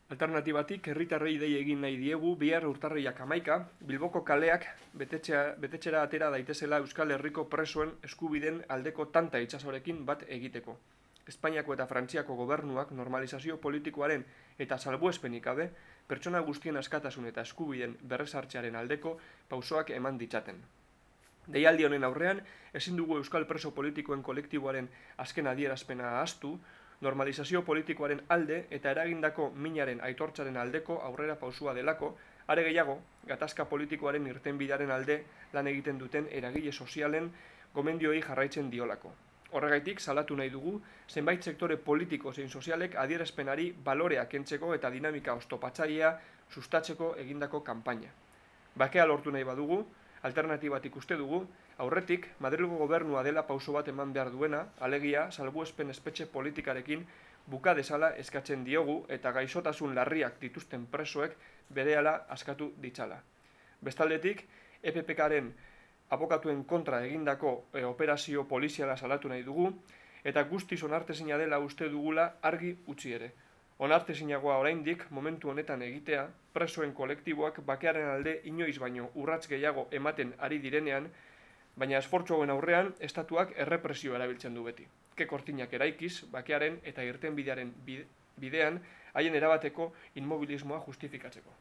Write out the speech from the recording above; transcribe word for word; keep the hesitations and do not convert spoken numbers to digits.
Alternatibatik, herritarrei dei egin nahi diegu bihar urtarrilak hamaika, Bilboko kaleak betetxea, betetxera atera daitezela Euskal Herriko presoen eskubiden aldeko tanta itsasorekin bat egiteko. Espainiako eta Frantziako gobernuak normalizazio politikoaren eta salbuespenik gabe, pertsona guztien askatasun eta eskubiden berrezartzearen aldeko pausoak eman ditzaten. Deialdi honen aurrean, ezin dugu Euskal preso politikoen kolektiboaren azken adierazpena ahaztu, normalizazio politikoaren alde eta eragindako minaren aitortzaren aldeko aurrera pausua delako, are gehiago, gatazka politikoaren irtenbidearen alde lan egiten duten eragile sozialen gomendioi jarraitzen diolako. Horregaitik, salatu nahi dugu, zenbait sektore politiko zein sozialek adierazpenari balorea kentzeko eta dinamika oztopatzailea sustatzeko egindako kanpaina. Bakea lortu nahi badugu, alternatibatik uste dugu, aurretik, Madrilgo gobernua dela pauso bat eman behar duena, alegia, salbuespen espetxe politikarekin buka desala eskatzen diogu eta gaixotasun larriak dituzten presoek berehala askatu ditzala. Bestaldetik, E P P K-ren abokatuen kontra egindako e, operazio poliziala salatu nahi dugu, eta guztiz onartezina dela uste dugula argi utzi ere. Onartezinagoa oraindik momentu honetan egitea, presoen kolektiboak bakearen alde inoiz baino urrats gehiago ematen ari direnean, baina esfortzu hauen aurrean, estatuak errepresio erabiltzen du beti. Ke kortinak eraikiz, bakearen eta irtenbidearen bidean, haien erabateko inmobilismoa justifikatzeko.